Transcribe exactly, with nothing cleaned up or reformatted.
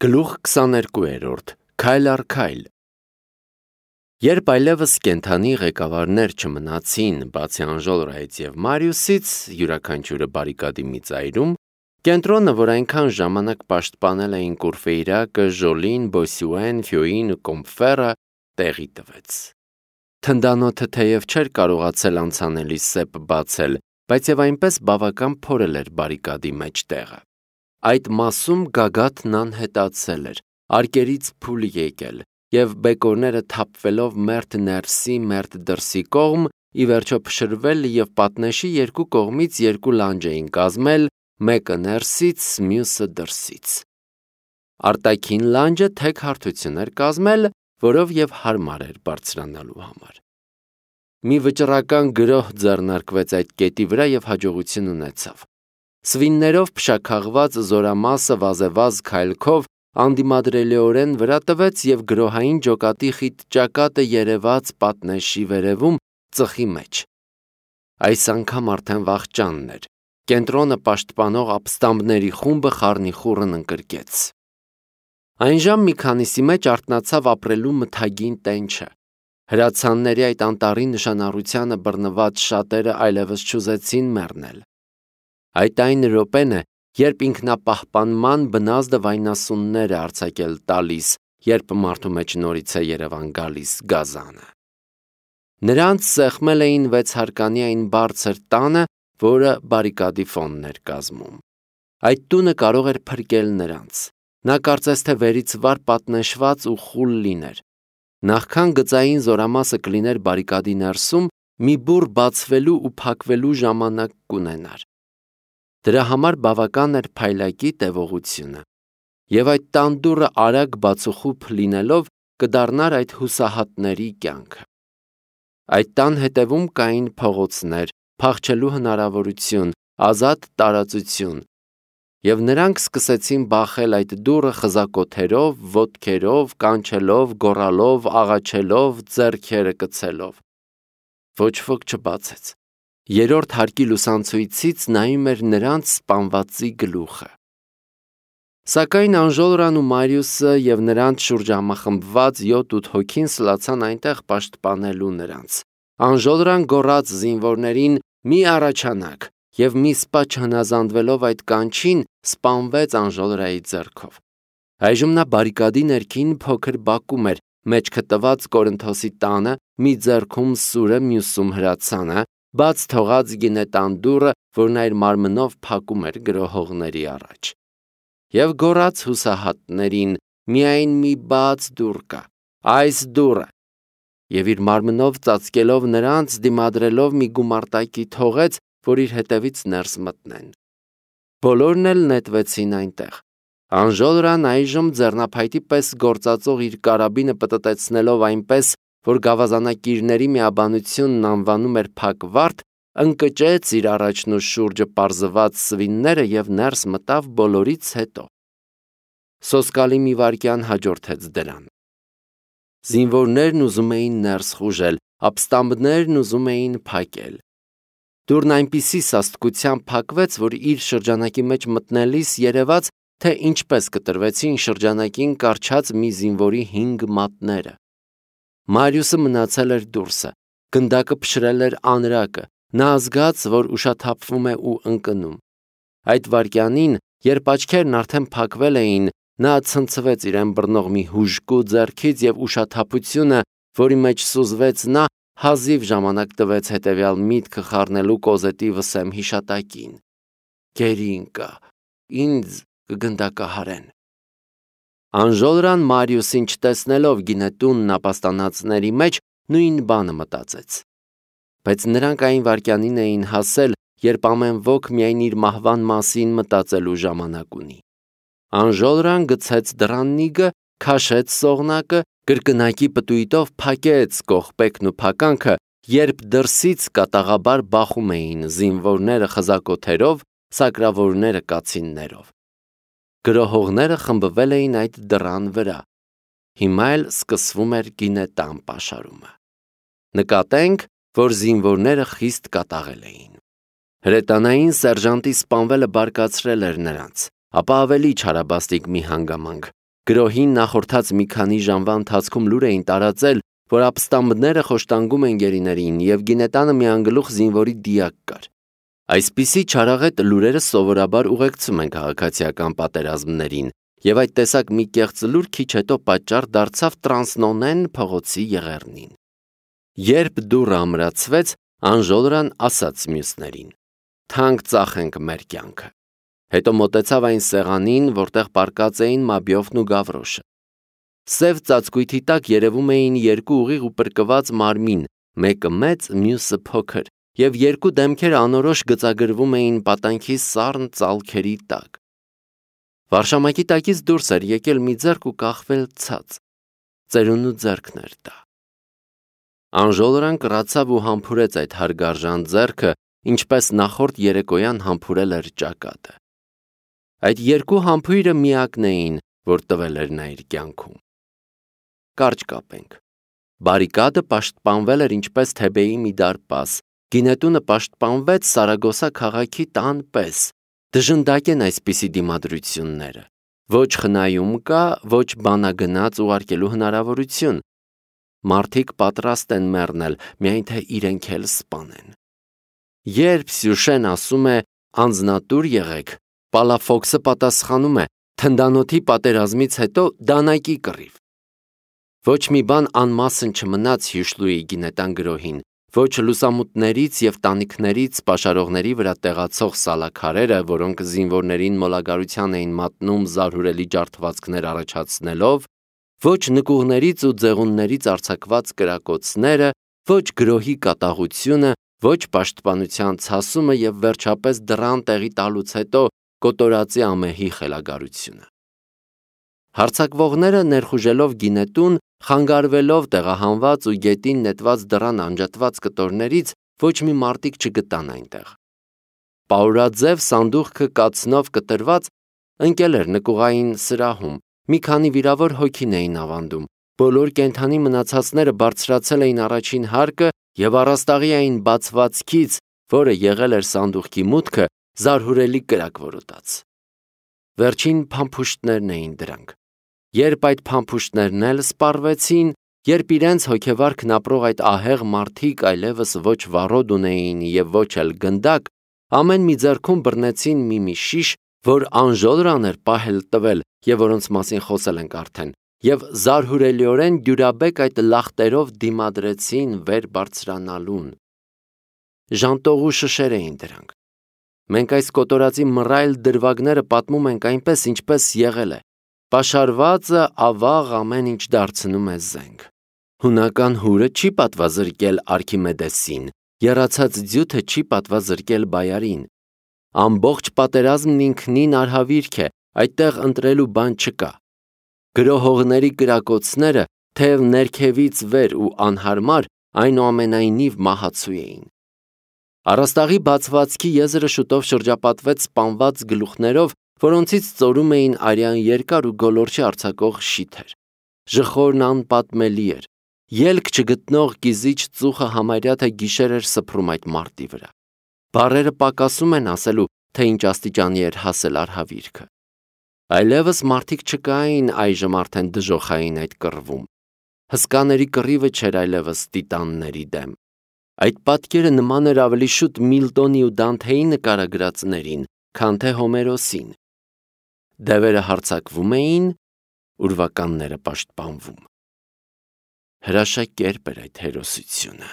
Գլուխ քսաներկուերորդ Քայլ առ քայլ։ Երբ այլևս կենդանի ղեկավարներ չմնացին, բացի Անժոլրայից և Մարիուսից, յուրաքանչյուրը բարիկադի մի ծայրում, կենտրոնը, որ այնքան ժամանակ պաշտպանել էին Կուրֆեյրակը, Ժոլին, Բոսյուեն, Ֆյոին ու Կոմֆերը, տեղի տվեց։ Թնդանոթը թեև չէր կարողացել անցանելի սեպ բացել, բայց և այնպես բավական փորել էր բարիկադի մեջ տեղը։ Այդ մասում գագաթն անհետացել էր, արկերից փուլ եկել, և բեկորները թափվելով մերթ ներսի, մերթ դրսի կողմ, ի վերջո փշրվել և պատնեշի երկու կողմից երկու լանջ էին կազմել, մեկը ներսից, մյուսը դրսից։ Արտաքին լանջը թեք հարթություն էր կազմել, որով և հարմար էր բարձրանալու համար։ Մի վճռական գրոհ ձեռնարկվեց այդ կետի վրա և հաջողություն ունեցավ։ Սվիններով փշաքաղված զորամասը վազեվազ քայլքով անդիմադրելիորեն վրա տվեց և գրոհային ջոկատի խիտ ճակատը երևաց պատնեշի վերևում ծխի մեջ։ Այս անգամ արդեն վախճանն էր։ Կենտրոնը պաշտպանող ապստամբների խումբը խառնիխուռն ընկրկեց։ Այնժամ մի քանիսի մեջ արթնացավ ապրելու մթագին տենչը։ Հրացանների այդ անտառի նշանառությանը բռնված շատերը այլևս չուզեցին մեռնել։ Այդ այն րոպեն է, երբ ինքնապահպանման բնազդը վայնասուններ է արձակել տալիս, երբ մարդու մեջ նորից է երևան գալիս գազանը։ Նրանց սեղմել էին վեցհարկանի այն բարձր տանը, որը բարիկադի ֆոնն էր կազմում։ Այդ տունը կարող էր փրկել նրանց։ Նա կարծես թե վերից վար պատնեշված ու խուլ լիներ։ Նախքան գծային զորամասը կլիներ բարիկադի ներսում, մի բուռ բացվելու ու փակվելու ժամանակ կունենար։ Դրա համար բավական էր փայլակի տևողությունը, և այդ տան դուռը արագ բացուխուփ լինելով կդառնար այդ հուսահատների կյանքը։ Այդ տան հետևում կային փողոցներ, փախչելու հնարավորություն, ազատ տարածություն, և նրանք սկսեցին բախել այդ դուռը խզակոթերով, ոտքերով, կանչելով, գոռալով, աղաչելով, ձեռքերը կցելով։ Ոչ ոք չբացեց։ Երրորդ հարկի լուսանցույցից նայում էր նրանց սպանվածի գլուխը։ Սակայն Անժոլրան ու Մարիուսը և նրանց շուրջ համախմբված յոթ-ութ հոգին սլացան այնտեղ պաշտպանելու նրանց։ Անժոլրան գոռաց զինվորներին՝ «Մի առաջանաք», և մի սպա չհնազանդվելով այդ կանչին, սպանվեց Անժոլրայի ձեռքով։ Այժմ նա բարիկադի ներքին փոքր բակում էր, մեջքը տված Կորինթոսի տանը, մի ձեռքում սուրը, մյուսում հրացանը, բաց թողած գինե տան դուռը, որն այր մարմնով փակում էր գրոհողների առաջ։ Եվ գոռաց հուսահատներին. «Միայն մի բաց դուռ կա, այս դուռը», և իր մարմնով ծածկելով նրանց, դիմադրելով մի գումարտակի թողեց, որ իր հետևից ներս մտնեն։ Բոլորն էլ նետվեցին այնտեղ։ Անժոլրան այժմ ձեռնափայտի պես գործածող իր կարաբինը պտտեցնելով այնպես, որ գավազանակիրների միաբանությունն անվանում էր փակվարտ, ընկճեց իր առաջն ու շուրջը պարզված սվինները և ներս մտավ բոլորից հետո։ Սոսկալի մի վայրկյան հաջորդեց դրան։ Զինվորներն ուզում էին ներս խուժել, ապստամբներն ուզում էին փակել։ Դուռն այնպիսի սաստկությամբ փակվեց, որ իր շրջանակի մեջ մտնելիս երևաց, թե ինչպես կտրվեցին շրջանակին կառչած մի զինվորի հինգ մատները։ Մարիուսը մնացել էր դուրսը, գնդակը փշրել էր անրակը, նա զգաց, որ ուշաթափվում է ու ընկնում։ Այդ վայրկյանին, երբ աչքերն արդեն փակվել էին, նա ցնցվեց իրեն բռնող մի հուժկու ձեռքից և ուշաթափությունը, որի մեջ սուզվեց նա, հազիվ ժամանակ տվեց հետևյալ միտքը խառնելու կոզետի վսեմ հիշատակին. «Գերի ընկա, ինձ կգնդակահարեն»։ Անժոլրան Մարիուսին չտեսնելով գինետունն ապաստանածների մեջ, նույն բանը մտածեց։ Բայց նրանք այն վայրկյանին էին հասել, երբ ամեն ոք միայն իր մահվան մասին մտածելու ժամանակ ունի։ Անժոլրան գցեց դռաննիգը, քաշեց սողնակը, կրկնակի պտույտով փակեց կողպեքն ու փականքը, երբ դրսից կատաղաբար բախում էին զինվորները խզակոթերով, սակրավորները կացիններով։ Գրոհողները խմբվել էին այդ դռան վրա։ Հիմա էլ սկսվում էր գինետան պաշարումը։ Նկատենք, որ զինվորները խիստ կատաղել էին։ Հրետանային սերժանտի սպանվելը բարկացրել էր նրանց, ապա ավելի չարաբաստիկ մի հանգամանք։ Գրոհին նախորդած մի քանի ժամվա ընթացքում լուր էին տարածել, որ ապստամբները խոշտանգում են գերիներին և գինետանը միանգլուխ զինվորի դիակ կար։ Այսպիսի չարաղետ լուրերը սովորաբար ուղեկցում են քաղաքացիական պատերազմներին, և այդ տեսակ մի կեղծ լուր քիչ հետո պատճառ դարձավ Տրանսնոնեն փողոցի եղեռնին։ Երբ դուռը ամրացվեց, Անժոլրան ասաց մյուսներին. «Թանկ ծախենք մեր կյանքը»։ Հետո մոտեցավ այն սեղանին, որտեղ պառկած էին Մաբիոֆն ու Գավրոշը։ Սև ծածկույթի տակ երևում էին երկու ուղիղ ու պրկված մարմին, մեկը մեծ, մյուսը փոքր, և երկու դեմքեր անորոշ գծագրվում էին պատանքի սառն ծալքերի տակ։ Վարշամակի տակից դուրս էր եկել մի ձեռք ու կախվել ցած։ Ծերունու ձեռքն էր դա։ Անժոլրան կռացավ ու համբուրեց այդ հարգարժան ձեռքը, ինչպես նախորդ երեկոյան համբուրել էր ճակատը։ Այդ երկու համբույրը միակն էին, որ տվել էր նա իր կյանքում։ Կարճ կապենք։ Բարիկադը պաշտպանվել էր ինչպես Թեբեի մի դարպաս, գինետունը պաշտպանվեց Սարագոսա քաղաքի տան պես։ Դժնդակ են այսպիսի դիմադրությունները։ Ոչ խնայում կա, ոչ բանագնաց ուղարկելու հնարավորություն։ Մարդիկ պատրաստ են մեռնել, միայն թե իրենք էլ սպանեն։ Երբ Սյուշեն ասում է «անձնատուր եղեք», Պալաֆոքսը պատասխանում է «թնդանոթի պատերազմից հետո դանակի կռիվ»։ Ոչ մի բան անմասն չմնաց Հյուշլուի գինետան գրոհին, ոչ լուսամուտներից և տանիքներից պաշարողների վրա տեղացող սալաքարերը, որոնք զինվորներին մոլագարության էին մատնում զարհուրելի ջարդվածքներ առաջացնելով, ոչ նկուղներից ու ձեղուններից արձակված կրակոցները, ոչ գրոհի կատաղությունը, ոչ պաշտպանության ցասումը և վերջապես դռան տեղի տալուց հետո կոտորածի ամեհի խելագարությունը։ Հարձակվողները ներխուժելով գինետուն, խանգարվելով տեղահանված ու գետին նետված դռան անջատված կտորներից, ոչ մի մարտիկ չգտան այնտեղ։ Պաուրաձև սանդուղքը կացնով կտրված ընկել էր նկուղային սրահում, մի քանի վիրավոր հոգին էին ավանդում, բոլոր կենդանի մնացածները բարձրացել էին առաջին հարկը և առաստաղի այն բացվածքից, որը եղել էր սանդուղքի մուտքը, զարհուրելի կրակ որոտաց։ Վերջին փամփուշտներն էին դրանք։ Երբ այդ փամփուշտներն էլ սպառվեցին, երբ իրենց հոգեվարքն ապրող այդ ահեղ մարդիկ այլևս ոչ վառոդ ունեին և ոչ էլ գնդակ, ամեն մի ձեռքում բռնեցին մի-մի շիշ, որ Անժոլրան էր պահել տվել և որոնց մասին խոսել ենք արդեն, և զարհուրելիորեն դյուրաբեկ այդ լախտերով դիմադրեցին վեր բարձրանալուն։ Ժանտողու շշեր էին դրանք։ Մենք այս կոտորածի մռայլ դրվագները պատմում ենք այնպես, ինչպես եղել է։ Պաշարվածը ավաղ ամեն ինչ դարձնում է զենք։ Հունական հուրը չի պատվազրկել Արքիմեդեսին, եռացած ձյութը չի պատվազրկել Բայարին։ Ամբողջ պատերազմն ինքնին արհավիրք է, այդտեղ ընտրելու բան չկա։ Գրոհողների կրակոցները, թեև ներքևից վեր ու անհարմար, այնուամենայնիվ մահացու էին։ Առաստաղի բացվածքի եզրը շուտով շրջապատվեց սպանված գլուխներով, որոնցից ծորում էին արյան երկար ու գոլորշի արձակող շիթեր։ Ժխորն անպատմելի էր։ Ելք չգտնող կիզիչ ծուխը համարյա թե գիշեր էր սփռում այդ մարտի վրա։ Բառերը պակասում են ասելու, թե ինչ աստիճանի էր հասել արհավիրքը։ Այլևս մարդիկ չկային այժմ արդեն դժոխային այդ կռվում։ Հսկաների կռիվը չէր այլևս տիտանների դեմ։ Այդ պատկերը նման էր ավելի շուտ Միլտոնի ու Դանթեի նկարագրածներին, քան թե Հոմերոսին։ Դևերը հարձակվում էին, ուրվականները պաշտպանվում։ Հրաշակերպ էր այդ հերոսությունը։